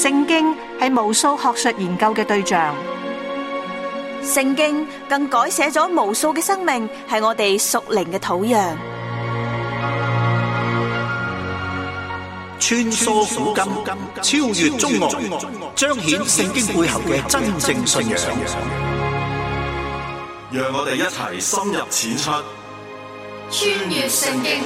聖經係無數學術研究嘅對象，聖經更改寫咗無數嘅生命，係我哋屬靈嘅土壤。穿梭古今，超越中外，彰顯聖經背後嘅真正信仰。讓我哋一齊深入淺出，穿越聖經。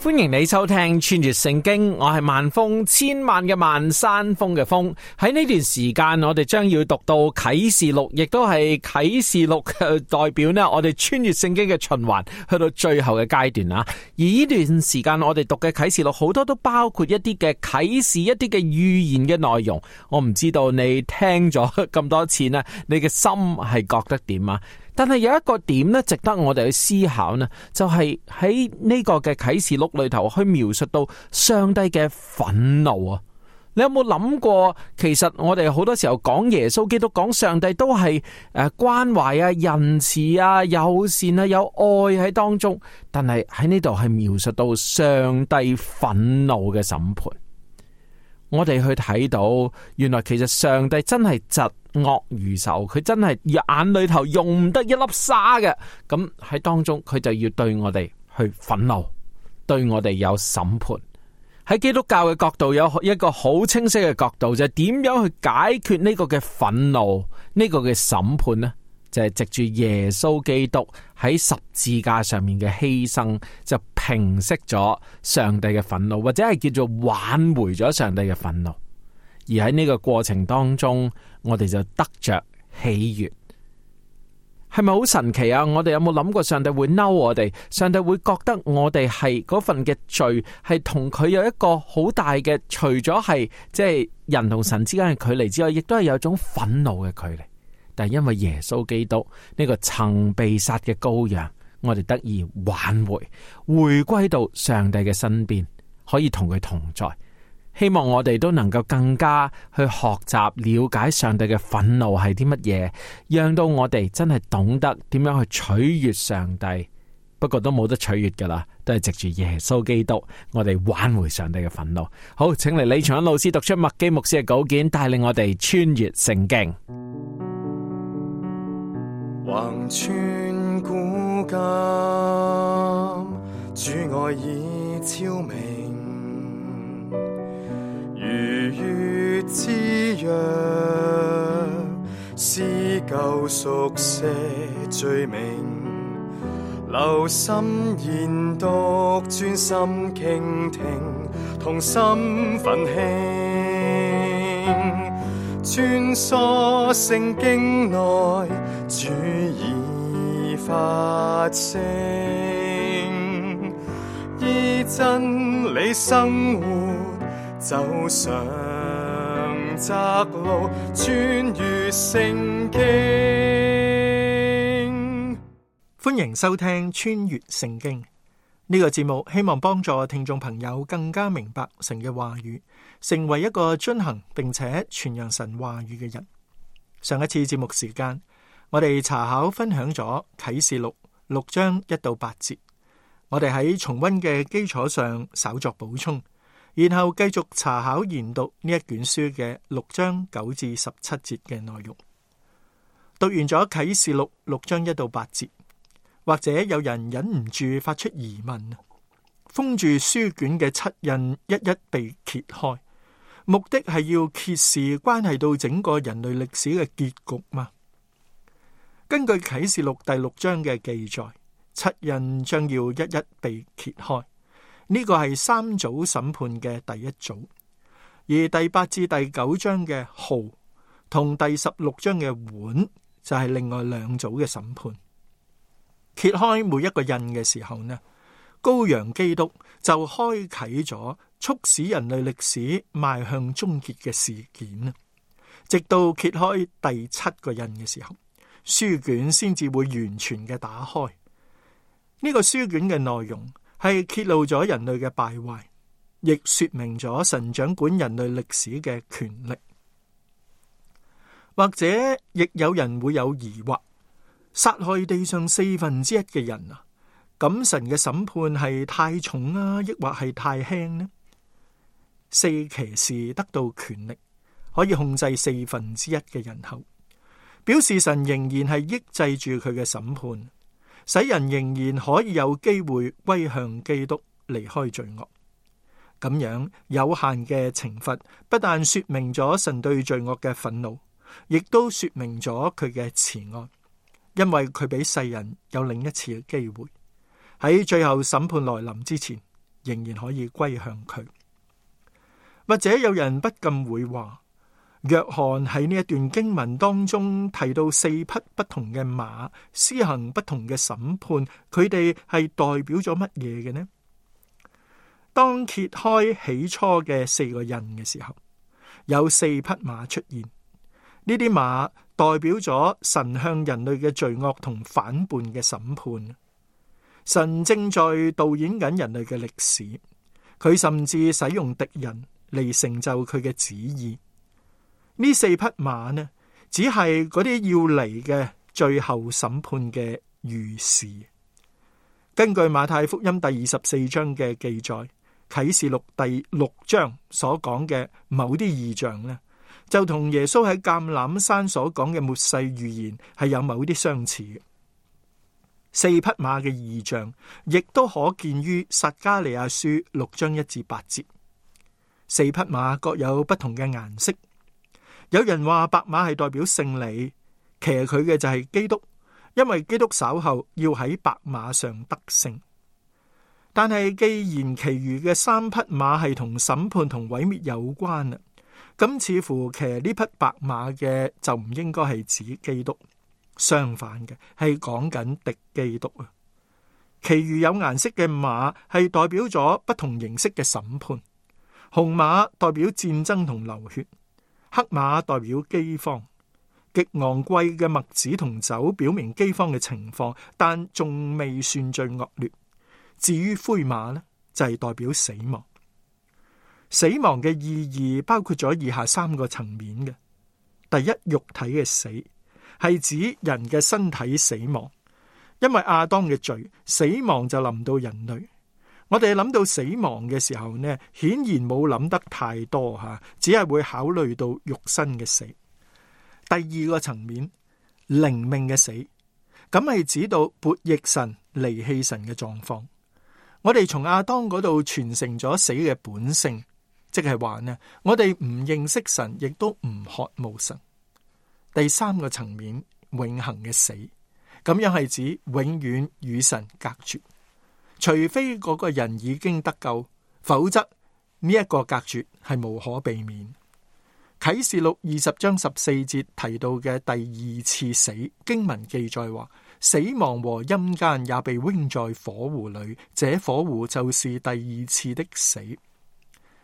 歡迎你收聽穿越聖經，我係萬峰，千萬嘅萬，山峰嘅峰。喺呢段時間，我哋將要讀到啟示錄，亦都係啟示錄代表呢，我哋穿越聖經嘅循環去到最後嘅階段啊。而呢段時間我哋讀嘅啟示錄好多都包括一啲嘅啟示，一啲嘅預言嘅內容。我唔知道你聽咗咁多次呢，你嘅心係覺得點啊？但係有一個點咧，值得我哋去思考呢，就係喺呢個嘅啟示錄裏頭去描述到上帝嘅憤怒啊！你有冇諗過？其實我哋好多時候講耶穌基督、講上帝都係關懷啊、仁慈啊、友善啊、有愛喺當中，但係喺呢度係描述到上帝憤怒嘅審判。我哋去睇到，原來其實上帝真係疾惡如仇，佢真係眼裏頭容唔得一粒沙嘅。咁喺當中，佢就要對我哋去憤怒，對我哋有審判。喺基督教嘅角度，有一個好清晰嘅角度，就係點樣去解決呢個嘅憤怒，呢個嘅審判呢？就係藉住耶穌基督喺十字架上面嘅犧牲，就平息咗上帝嘅憤怒，或者係叫做挽回咗上帝嘅憤怒。而喺呢個過程當中，我哋就得着喜悅。係咪好神奇啊？我哋有冇諗過上帝會嬲我哋？上帝會覺得我哋係嗰份嘅罪係同佢有一個好大嘅，除咗係即係人同神之間嘅距離之外，亦都係有一種憤怒嘅距離。但係因為耶穌基督呢個曾被殺嘅羔羊，我哋得以挽回，回歸到上帝嘅身邊，可以同佢同在。希望我哋都能夠更加去學習了解上帝嘅憤怒係啲乜嘢，讓到我哋真係懂得點樣去取悅上帝。不過都冇得取悅噶啦，都係藉住耶穌基督，我哋挽回上帝嘅憤怒。好，請嚟李長恩老師讀出麥基牧師嘅稿件，帶領我哋穿越聖經。橫穿古今，主愛已昭明，如月之約，撕救贖赦罪名，留心研讀，專心傾聽，同心奮興，穿梭聖經內，主已發聲，依真理生活，走上窄路，穿越聖經。歡迎收聽穿越聖經呢個節目，希望幫助聽眾朋友更加明白神嘅話語，成為一個遵行並且傳揚神話語嘅人。上一次節目時間，我哋查考分享咗啟示錄6章1到8節，我哋喺重溫嘅基礎上稍作補充，然後繼續查考研讀呢一卷書嘅6章9至17節嘅內容。讀完咗啟示錄6章1到8節，或者有人忍唔住發出疑問，封住書卷嘅7印一一被揭開，目的係要揭示關係到整個人類歷史嘅結局嗎？根據啟示錄第6章嘅記載，7印將要一一被揭開，呢個係3組審判嘅第一組，而第8至第9章嘅號同第16章嘅碗就係另外2組嘅審判。揭開每一個印嘅時候呢，羔羊基督就開啟咗促使人類歷史邁向終結嘅事件，直到揭開第7個印嘅時候，書卷先至會完全嘅打開。呢個書卷嘅內容係揭露咗人類嘅敗壞，亦說明咗神掌管人類歷史嘅權力。或者亦有人會有疑惑，殺害地上1/4嘅人啊，咁神嘅審判係太重啊，抑或係太輕呢？四騎士得到權力，可以控制1/4嘅人口，表示神仍然係抑制住佢嘅審判，使人仍然可以有機會歸向基督，離開罪惡。咁樣有限嘅懲罰，不但說明咗神對罪惡嘅憤怒，亦都說明咗佢嘅慈愛，因為佢俾世人有另一次嘅機會，喺最後審判來臨之前，仍然可以歸向佢。或者有人不禁會話，約翰喺呢一段經文當中提到4匹不同嘅馬，施行不同嘅審判，佢哋係代表咗乜嘢嘅呢？當揭開起初嘅4個印嘅時候，有4匹馬出現，呢啲馬代表咗神向人類嘅罪惡同反叛嘅審判。神正在導演緊人類嘅歷史，佢甚至使用敵人嚟成就佢嘅旨意。呢4匹馬呢，只係嗰啲要嚟嘅最後審判嘅預示。根據馬太福音第24章嘅記載，啟示錄第6章所講嘅某啲異象呢，就同耶穌喺橄欖山所講嘅末世預言係有某啲相似嘅。4匹馬嘅異象亦都可見於撒迦利亞書6章1至8節。4匹馬各有不同嘅顏色，有人話白馬係代表勝利，騎佢嘅就係基督，因為基督稍後要喺白馬上得勝。但係既然其餘嘅3匹馬係同審判同毀滅有關啦，咁似乎騎呢匹白馬嘅就唔應該係指基督，相反嘅係講緊敵基督啊。其餘有顏色嘅馬係代表咗不同形式嘅審判，紅馬代表戰爭同流血，黑馬代表饑荒，極昂貴嘅麥子同酒表明饑荒嘅情況，但仲未算最惡劣。至於灰馬呢，就係代表死亡。死亡嘅意義包括咗以下3個層面嘅。第一，肉體嘅死，係指人嘅身體死亡，因為亞當嘅罪，死亡就臨到人類。我哋諗到死亡嘅時候呢，顯然冇諗得太多吓，只係會考慮到肉身嘅死。第2個層面，靈命嘅死，咁係指到悖逆神、離棄神嘅狀況。我哋從亞當嗰度傳承咗死嘅本性，即係話呢，我哋唔認識神，亦都唔渴慕神。第3個層面，永恆嘅死，咁樣係指永遠與神隔絕，除非嗰個人已經得救，否則呢一個隔絕係無可避免。啟示錄20章14節提到嘅第2次死，經文記載話，死亡和陰間也被扔在火湖裏，這火湖就是第2次的死。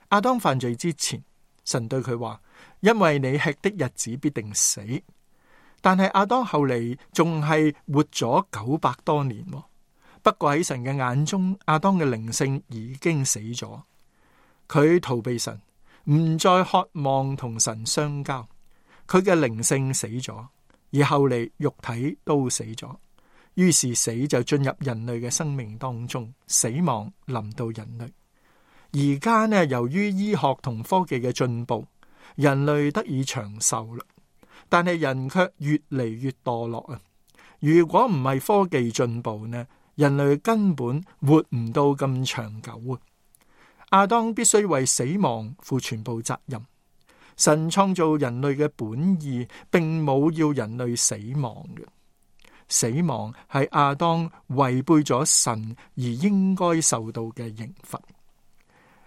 亞當犯罪之前，神對佢話，因為你吃的日子必定死。但係亞當後嚟仲係活咗900多年。不過喺神嘅眼中，亞當嘅靈性已經死咗，佢逃避神，唔再渴望同神相交，佢嘅靈性死咗，而後嚟肉體都死咗。於是死就進入人類嘅生命當中，死亡臨到人類。而家呢，由於醫學同科技嘅進步，人類得以長壽啦，但係人卻越嚟越墮落啊！如果唔係科技進步呢，人類根本活唔到咁長久啊！亞當必須為死亡負全部責任。神創造人類嘅本意，並冇要人類死亡嘅。死亡係亞當違背咗神而應該受到嘅刑罰。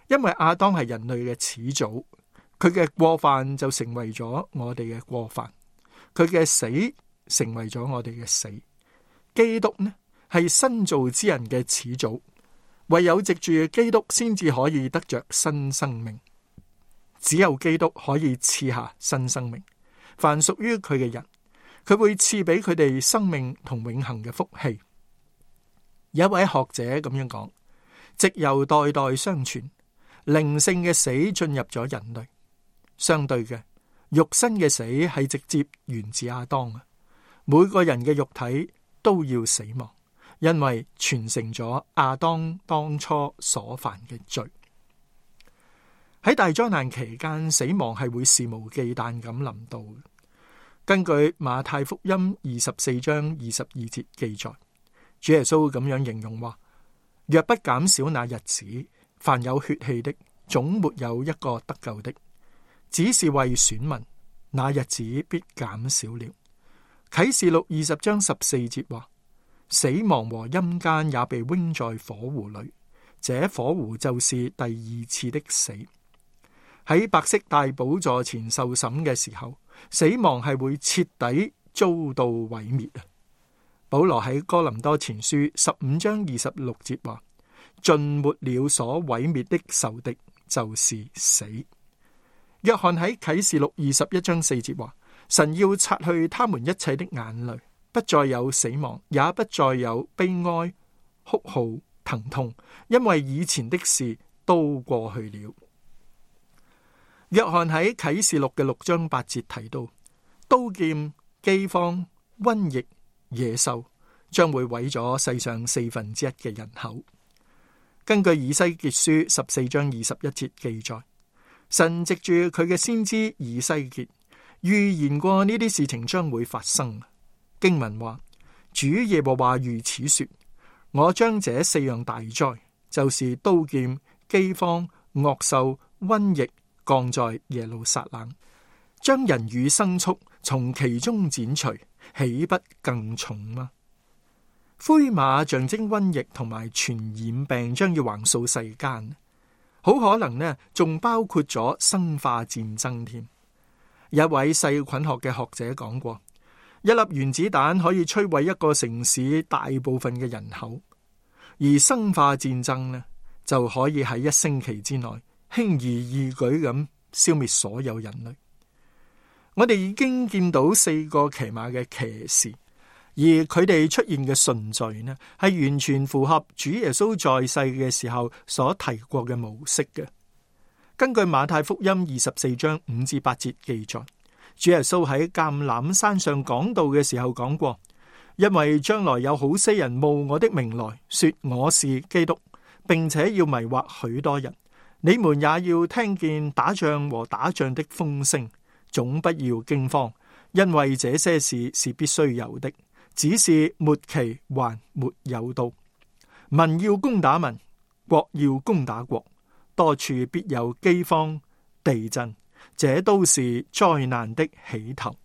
因為亞當係人類嘅始祖，佢嘅過犯就成為咗我哋嘅過犯，佢嘅死成為咗我哋嘅死。基督呢，係新造之人嘅始祖，唯有藉住基督先至可以得着新生命。只有基督可以賜下新生命，凡屬於佢嘅人，佢會賜俾佢哋生命同永恆嘅福氣。有一位學者咁樣講，藉由代代相傳，靈性嘅死進入咗人類。相對嘅，肉身嘅死係直接源自亞當啊。每個人嘅肉體都要死亡，因為傳承咗亞當當初所犯嘅罪。喺大災難期間，死亡係會肆無忌憚咁臨到。根據馬太福音24章22節記載，主耶穌咁樣形容話：若不減少那日子，凡有血氣的，總沒有一個得救的；只是為選民，那日子必減少了。啟示錄20章14節話：死亡和陰間也被扔在火湖裏，這火湖就是第二次的死。喺白色大寶座前受審嘅時候，死亡係會徹底遭到毀滅啊！保羅喺哥林多前書15章26節話：盡沒了所毀滅的仇敵，就是死。約翰喺啟示錄21章4節話：神要擦去他們一切的眼淚，不再有死亡，也不再有悲哀、哭號、疼痛，因為以前的事都過去了。約翰喺啟示錄嘅6章8節提到，刀劍、饑荒、瘟疫、野獸將會毀咗世上1/4嘅人口。根據以西結書14章21節記載，神藉住佢嘅先知以西結預言過呢啲事情將會發生。經文話：主耶和華如此說，我將這4樣大災，就是刀劍、饑荒、惡獸、瘟疫，降在耶路撒冷，將人與牲畜從其中剪除，豈不更重嗎？灰馬象徵瘟疫同埋傳染病將要橫掃世間，好可能呢仲包括咗生化戰爭添。有一位細菌學嘅學者講過，一粒原子彈可以摧毀一個城市大部分嘅人口，而生化戰爭呢就可以喺1星期之內輕而易舉咁消滅所有人類。我哋已經見到4個騎馬嘅騎士，而佢哋出現嘅順序呢，係完全符合主耶穌在世嘅時候所提過嘅模式嘅。根據馬太福音24章5至8節記載，主耶穌喺橄欖山上講道嘅時候講過：因為將來有好些人冒我的名來說我是基督，並且要迷惑許多人。你們也要聽見打仗和打仗的風聲，總不要驚慌，因為這些事是必須有的，只是末期還沒有到。民要攻打民，國要攻打國，多處必有饑荒、地震，這都是災難的起頭。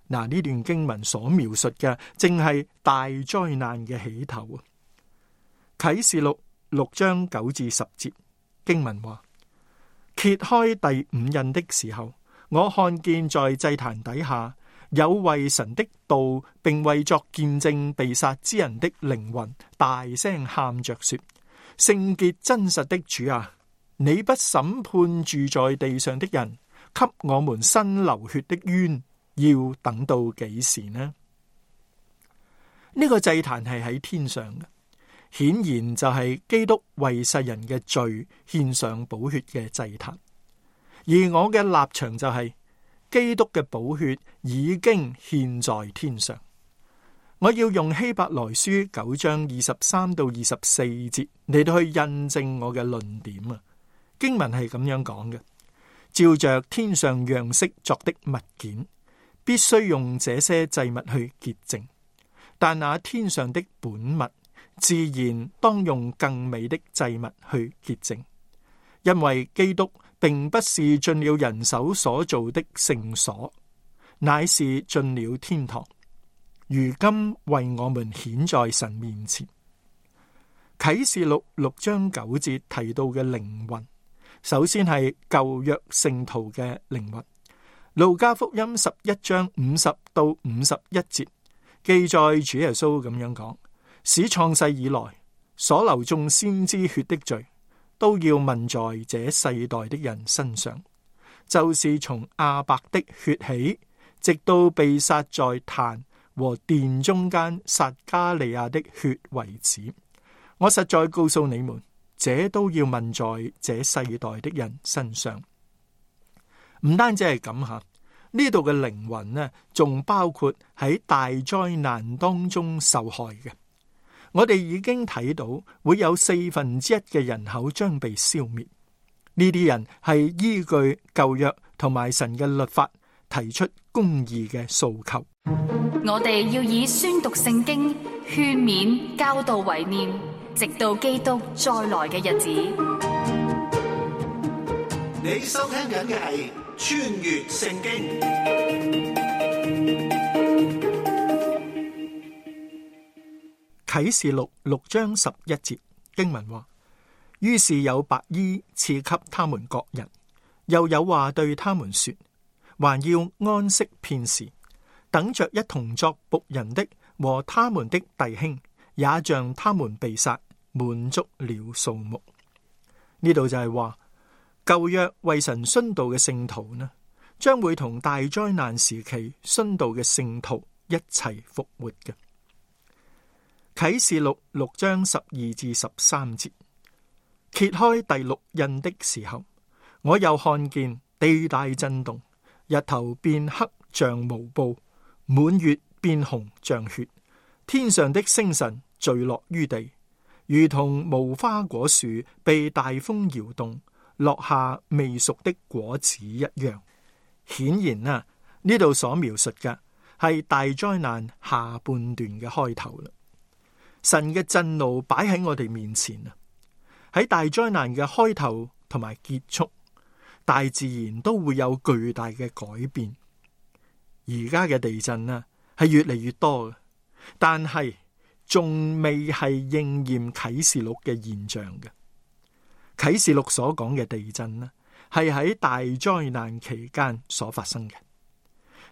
嗱，呢段經文所描述嘅正係大災難嘅起頭啊！啟示錄6章9至10節。經文話：揭開第5印的時候，我看見在祭壇底下有為神的道並為作見證被殺之人的靈魂大聲喊着說：聖潔真實的主啊，你不審判住在地上的人，給我們伸流血的冤，要等到幾時呢？呢個祭壇係喺天上嘅，顯然就係基督為世人嘅罪獻上寶血嘅祭壇，而我嘅立場就係基督嘅寶血已經獻在天上。我要用希伯來書9章23到24節嚟到去印證我嘅論點啊。經文係咁樣講嘅：照着天上樣式作的物件，必須用這些祭物去潔淨，但那天上的本物自然當用更美的祭物去潔淨，因為基督並不是進了人手所造的聖所，乃是進了天堂，如今為我們顯在神面前。啟示錄6章9節提到嘅靈魂，首先係舊約聖徒嘅靈魂。路加福音11章50到51節記載主耶穌咁樣講：使創世以來所流眾先知血的罪，都要問在這世代的人身上，就是從亞伯的血起，直到被殺在壇和殿中間撒加利亞的血為止。我實在告訴你們，這都要問在這世代的人身上。唔單止係咁吓，呢度嘅靈魂呢，仲包括喺大災難當中受害嘅。我哋已經睇到會有1/4嘅人口將被消滅。呢啲人係依據舊約同埋神嘅律法提出公義嘅訴求。我哋要以宣讀聖經、勸勉、教導為念，直到基督再來嘅日子。你收聽緊嘅係穿越聖經。啟示錄6章11節經文話：於是有白衣賜給他們各人，又有話對他們說，還要安息片時，等着一同作僕人的和他們的弟兄，也像他們被殺，滿足了數目。呢度就係話舊約為神殉道嘅聖徒呢，將會同大災難時期殉道嘅聖徒一齊復活嘅。啟示錄6章12至13節，揭開第6印的時候，我又看見地大震動，日頭變黑像毛布，滿月變紅像血，天上的星辰墜落於地，如同無花果樹被大風搖動，落下未熟的果子一樣。顯然啊，呢度所描述嘅係大災難下半段嘅開頭啦。神嘅震怒擺喺我哋面前啊！喺大災難嘅開頭同埋結束，大自然都會有巨大嘅改變。而家嘅地震啊，係越嚟越多嘅，但係仲未係應驗啟示錄嘅現象嘅。啟示錄所講嘅地震呢，係喺大災難期間所發生嘅。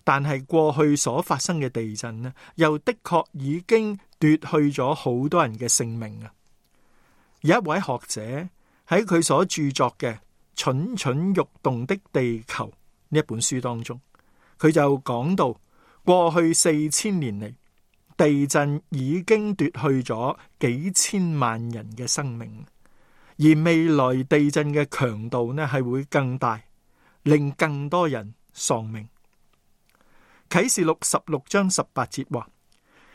但係過去所發生嘅地震呢，又的確已經奪去咗好多人嘅性命啊！有一位學者喺佢所著作嘅《蠢蠢欲動的地球》呢一本書當中，佢就講到過去4000年嚟，地震已經奪去咗幾千萬人嘅生命，而未來地震嘅強度呢係會更大，令更多人喪命。啟示錄16章18節話，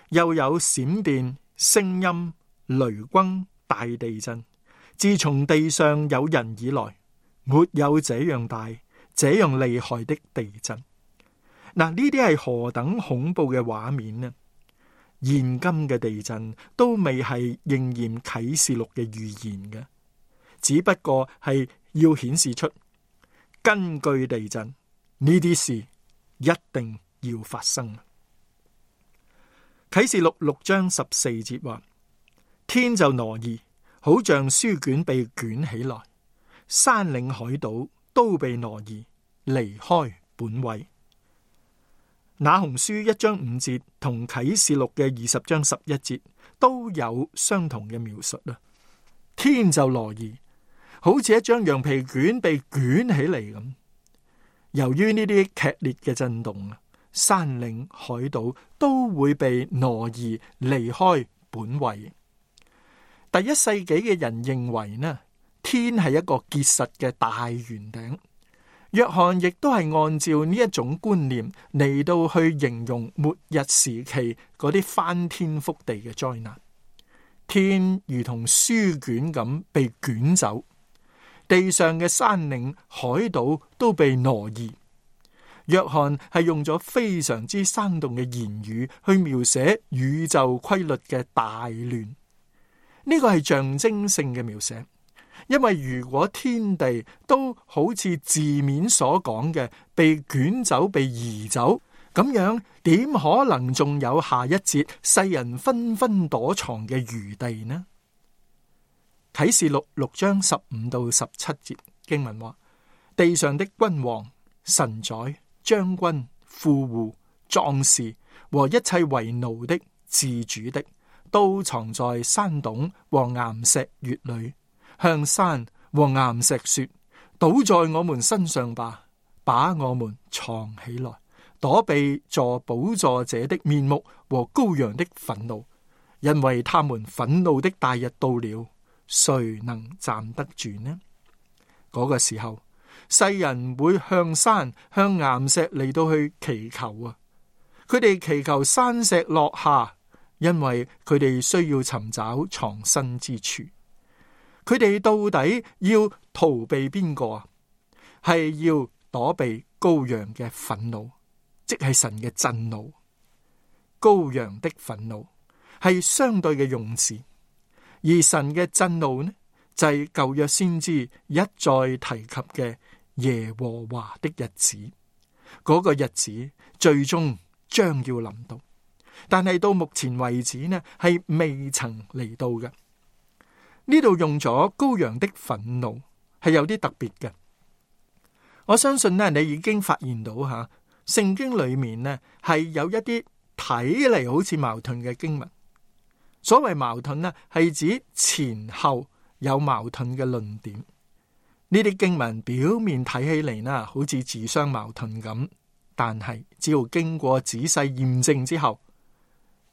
又有閃電、聲音、雷轟、大地震，自從地上有人以來，沒有這樣大、這樣厲害的地震。嗱，呢啲係何等恐怖嘅畫面呢？現今嘅地震都未係應驗啟示錄嘅預言嘅，只不過係要顯示出根據地震呢啲事一定要發生。啟示錄6章14節話，天就挪移，好像書卷被捲起來，山嶺海島都被挪移，離開本位。那鴻書1章5節同啟示錄嘅20章11節都有相同嘅描述啦。天就挪移，好似一張羊皮卷被捲起嚟咁。由於呢啲劇烈嘅震動啊，山嶺海島都會被挪移離開本位。第1世紀嘅人認為呢，天係一個結實嘅大圓頂。約翰亦都係按照呢一種觀念嚟到去形容末日時期嗰啲翻天覆地嘅災難。天如同書卷咁被捲走，地上嘅山嶺海島都被挪移。約翰係用咗非常之生動嘅言語去描寫宇宙規律嘅大亂。呢個係象徵性嘅描寫，因為如果天地都好似字面所講嘅被捲走、被移走，咁樣點可能仲有下一節世人紛紛躲藏嘅餘地呢？啟示錄6章15到17節經文話，地上的君王、臣宰、將軍、富戶、壯士和一切為奴的、自主的，都藏在山洞和岩石穴裏，向山和岩石說，倒在我們身上吧，把我們藏起來，躲避坐寶座者的面目和羔羊的憤怒，因為他們憤怒的大日到了，誰能站得住呢？嗰個時候，世人會向山、向岩石嚟到去祈求啊！佢哋祈求山石落下，因為佢哋需要尋找藏身之處。佢哋到底要逃避邊個啊？係要躲避羔羊嘅憤怒，即係神嘅震怒。羔羊的憤怒係相對嘅用詞，而神嘅震怒呢，就係舊約先知一再提及嘅耶和華的日子。嗰個日子最終將要臨到，但係到目前為止呢，係未曾嚟到嘅。呢度用咗羔羊的憤怒係有啲特別嘅。我相信呢，你已經發現到吓，聖經裏面呢係有一啲睇嚟好似矛盾嘅經文。所謂矛盾呢，係指前後有矛盾嘅論點。呢啲經文表面睇起嚟呢，好似自相矛盾咁，但係只要經過仔細驗證之後，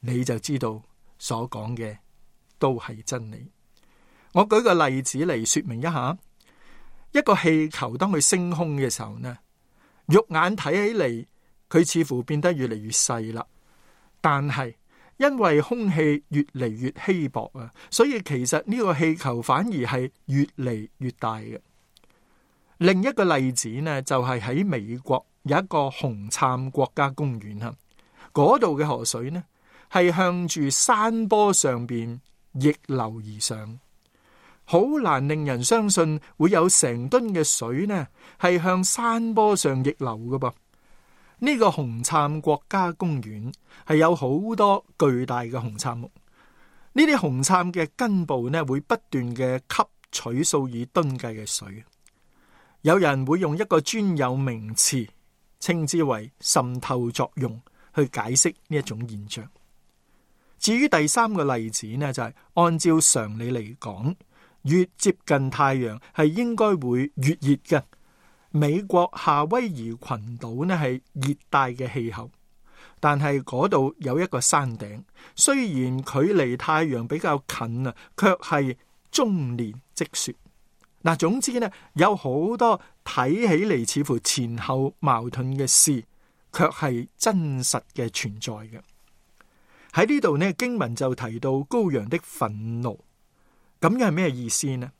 你就知道所講嘅都係真理。我舉個例子嚟說明一下，一個氣球當佢升空嘅時候呢，肉眼睇起嚟佢似乎變得越嚟越細啦，但係因為空氣越嚟越稀薄啊，所以其實呢個氣球反而係越嚟越大嘅。另一個例子呢，就係喺美國有一個紅杉國家公園啊，嗰度嘅河水呢係向住山坡上邊逆流而上。好難令人相信會有成噸嘅水呢係向山坡上逆流嘅噃。呢個紅杉國家公園係有好多巨大嘅紅杉木，呢啲紅杉嘅根部呢會不斷嘅吸取數以噸計嘅水。有人會用一個專有名詞稱之為滲透作用去解釋呢一種現象。至於第三個例子呢，就係按照常理嚟講，越接近太陽係應該會越熱嘅。美國夏威夷群島呢係熱帶嘅氣候，但係嗰度有一個山頂，雖然距離太陽比較近啊，卻係終年積雪。嗱，總之呢，有好多睇起嚟似乎前後矛盾嘅事，卻係真實嘅存在嘅。喺呢度呢，經文就提到羔羊的憤怒。咁樣係咩意思呢？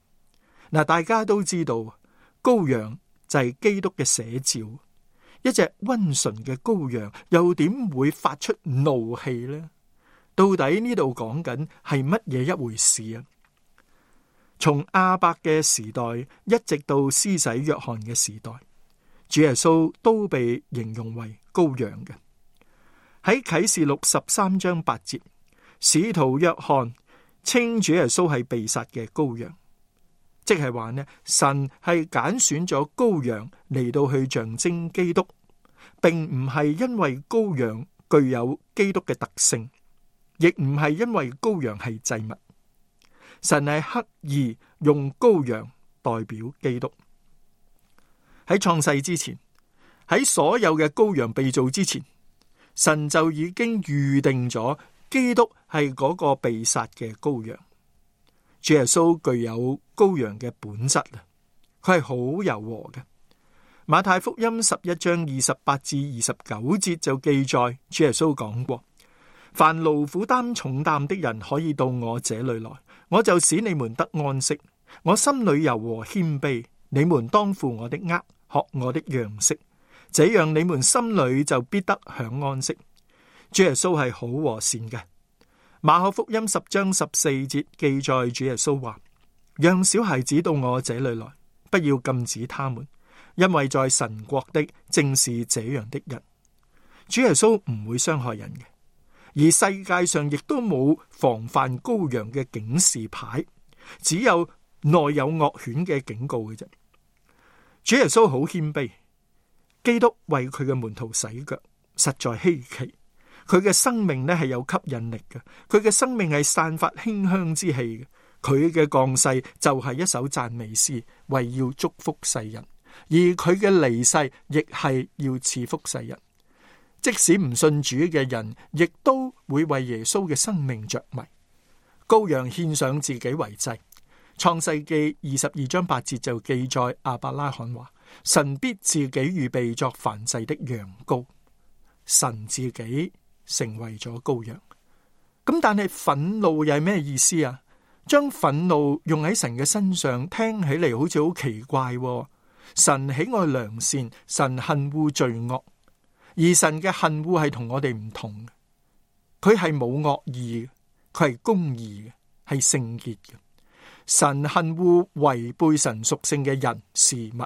嗱，大家都知道羔羊就係基督嘅寫照，一隻溫順嘅羔羊又點會發出怒氣呢？到底呢度講緊係乜嘢一回事啊？從亞伯嘅時代一直到施洗約翰嘅時代，主耶穌都被形容為羔羊嘅。喺啟示錄13章8節，使徒約翰稱主耶穌係被殺嘅羔羊，即係話呢，神係揀選咗羔羊嚟到去象徵基督，並唔係因為羔羊具有基督嘅特性，亦唔係因為羔羊係祭物。神係刻意用羔羊代表基督。喺創世之前，喺所有嘅羔羊被造之前，神就已經預定咗基督係嗰個被殺嘅羔羊。主耶穌具有羔羊嘅本質啊，佢係好柔和嘅。馬太福音11章28至29節就記載，主耶穌講過：凡勞苦擔重擔的人可以到我這裏來，我就使你們得安息。我心裏柔和謙卑，你們當負我的軛，學我的樣式，這樣你們心裏就必得享安息。主耶穌係好和善嘅。馬可福音10章14節記載，主耶穌話：讓小孩子到我這裏來，不要禁止他們，因為在神國的正是這樣的人。主耶穌唔會傷害人嘅。而世界上亦都冇防範羔羊嘅警示牌，只有內有惡犬嘅警告嘅啫。主耶穌好謙卑，基督為佢嘅門徒洗腳，實在稀奇。佢嘅生命呢係有吸引力嘅，佢嘅生命係散發馨香之氣嘅。佢嘅降世就係一首讚美詩，為要祝福世人，而佢嘅離世亦係要賜福世人。即使唔信主嘅人，亦都會為耶穌嘅生命着迷。羔羊獻上自己為祭。創世記22章8節就記載，亞伯拉罕話：神必自己預備作燔祭的羊羔。神自己成為咗羔羊。咁但係憤怒又係咩意思啊？將憤怒用喺神嘅身上，聽起嚟好似好奇怪喎。神喜愛良善，神恨惡罪惡，而神嘅恨惡係同我哋唔同嘅。佢係冇惡意嘅，佢係公義嘅，係聖潔嘅。神恨惡違背神屬性嘅人事物。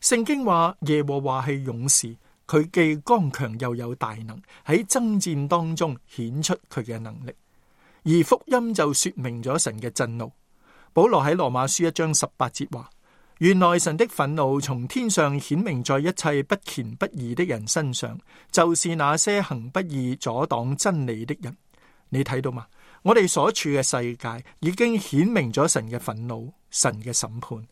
聖經話耶和華係勇士，佢既剛強又有大能，喺爭戰當中顯出佢嘅能力。而福音就說明咗神嘅震怒。保羅喺羅馬書1章18節話，原來神的憤怒從天上顯明在一切不虔不義的人身上，就是那些行不義阻擋真理的人。你睇到嗎？我哋所處嘅世界已經顯明咗神嘅憤怒，神嘅審判。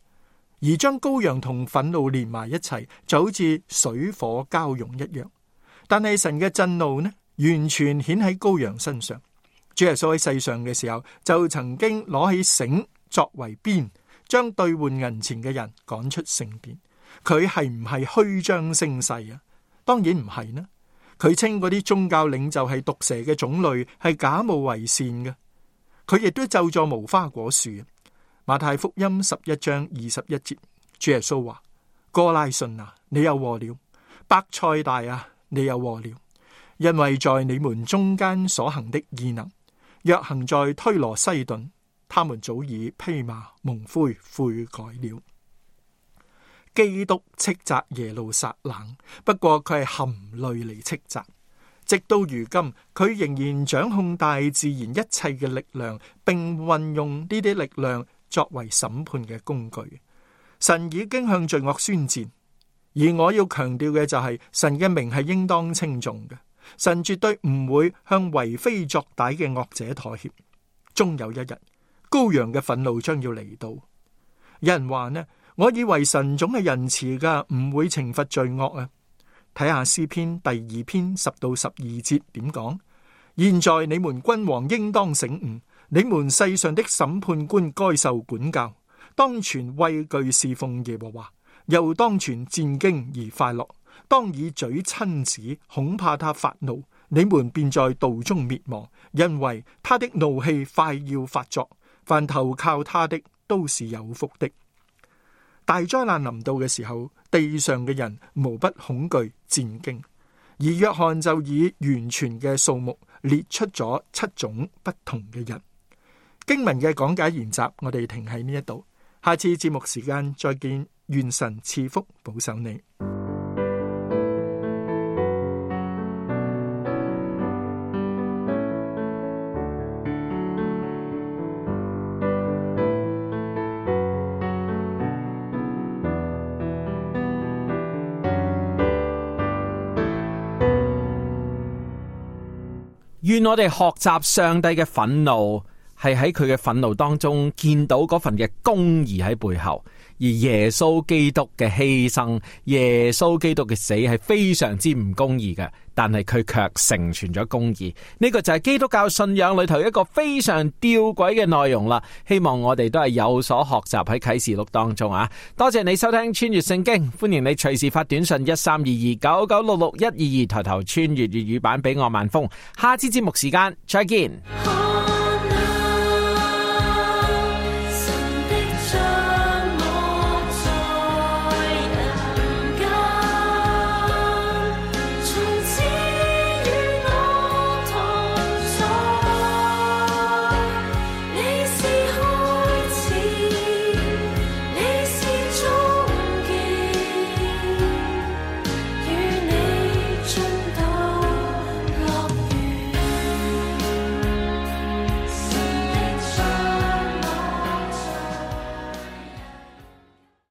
而將羔羊同憤怒連埋一齊，就好似水火交融一樣。但係神嘅震怒呢，完全顯喺羔羊身上。主耶穌喺世上嘅時候，就曾經攞起繩作為鞭，將兌換銀錢嘅人趕出聖殿。佢係唔係虛張聲勢啊？當然唔係呢。佢稱嗰啲宗教領袖係毒蛇嘅種類，係假冒為善嘅。佢亦都咒詛無花果樹。馬太福音11章21節，主耶穌話：哥拉汛啊，你有禍了；伯賽大啊，你有禍了，因為在你們中間所行的異能，若行在推羅西頓，他們早已披麻蒙灰悔改了。基督斥責耶路撒冷，不過佢係含淚嚟斥責。直到如今，佢仍然掌控大自然一切嘅力量，並運用呢啲力量作為審判嘅工具。神已經向罪惡宣戰，而我要強調嘅就係神嘅名係應當稱頌嘅。神絕對唔會向為非作歹嘅惡者妥協。終有一日，羔羊嘅憤怒將要嚟到。有人話呢，我以為神總係仁慈噶，唔會懲罰罪惡啊。睇下詩篇第2篇10到12節點講：現在你們君王應當醒悟，你們世上的審判官該受管教，當存畏懼侍奉耶和華，又當存戰兢而快樂。當以嘴親子，恐怕他發怒，你們便在道中滅亡，因為他的怒氣快要發作。凡投靠他的都是有福的。大災難臨到嘅時候，地上嘅人無不恐懼戰兢，而約翰就以完全嘅數目列出咗7種不同嘅人。經文嘅講解研習，我哋停喺呢一度，下次節目時間再見，願神賜福保守你。願我哋學習上帝嘅憤怒，係喺佢嘅憤怒當中見到嗰份嘅公義喺背後，而耶穌基督嘅犧牲，耶穌基督嘅死係非常之唔公義嘅，但係佢卻成全咗公義。呢個就係基督教信仰裏頭一個非常吊詭嘅內容啦。希望我哋都係有所學習喺啟示錄當中啊！多謝你收聽穿越聖經，歡迎你隨時發短信132299661122抬頭穿越粵語版俾我萬峰。下次節目時間再見。